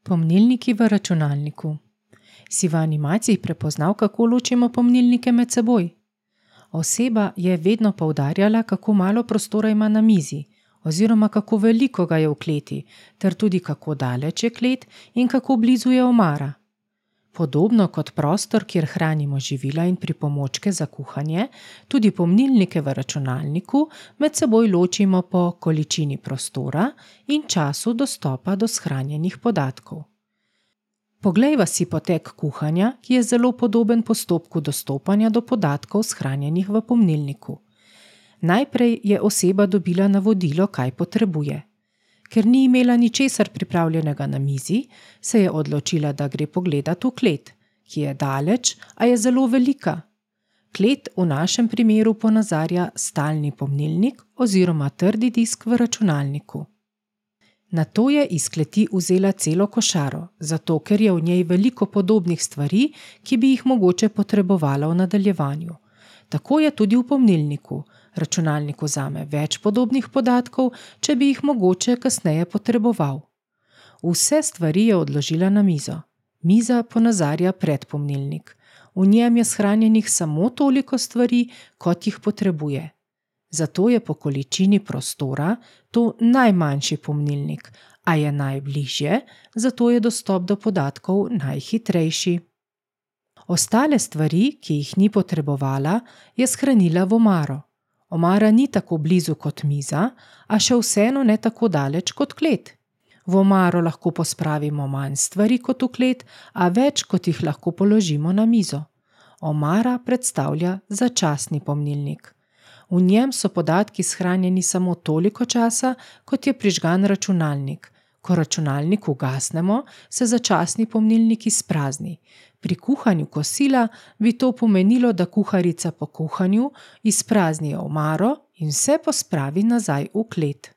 Pomnilniki v računalniku. Si v animaciji prepoznal, kako ločimo pomnilnike med seboj? Oseba je vedno poudarjala, kako malo prostora ima na mizi, oziroma kako veliko ga je v kleti, ter tudi kako daleč je klet in kako blizu je omara. Podobno kot prostor, kjer hranimo živila in pripomočke za kuhanje, tudi pomnilnike v računalniku med seboj ločimo po količini prostora in času dostopa do shranjenih podatkov. Poglejva si potek kuhanja, ki je zelo podoben postopku dostopanja do podatkov shranjenih v pomnilniku. Najprej je oseba dobila navodilo, kaj potrebuje. Ker ni imela ničesar pripravljenega na mizi, se je odločila, da gre pogledat v klet, ki je daleč, a je zelo velika. Klet v našem primeru ponazarja stalni pomnilnik oziroma trdi disk v računalniku. Nato je iz kleti vzela celo košaro, zato ker je v njej veliko podobnih stvari, ki bi jih mogoče potrebovala v nadaljevanju. Tako je tudi v pomnilniku. Računalnik vzame več podobnih podatkov, če bi jih mogoče kasneje potreboval. Vse stvari je odložila na mizo. Miza ponazarja predpomnilnik. V njem je shranjenih samo toliko stvari, kot jih potrebuje. Zato je po količini prostora to najmanjši pomnilnik, a je najbližje, zato je dostop do podatkov najhitrejši. Ostale stvari, ki jih ni potrebovala, je shranila v omaro. Omara ni tako blizu kot miza, a še vseeno ne tako daleč kot klet. V omaro lahko pospravimo manj stvari kot v klet, a več kot jih lahko položimo na mizo. Omara predstavlja začasni pomnilnik. V njem so podatki shranjeni samo toliko časa, kot je prižgan računalnik. Ko računalnik ugasnemo, se začasni pomnilnik izprazni. Pri kuhanju kosila bi to pomenilo, da kuharica po kuhanju izprazni omaro in vse pospravi nazaj v klet.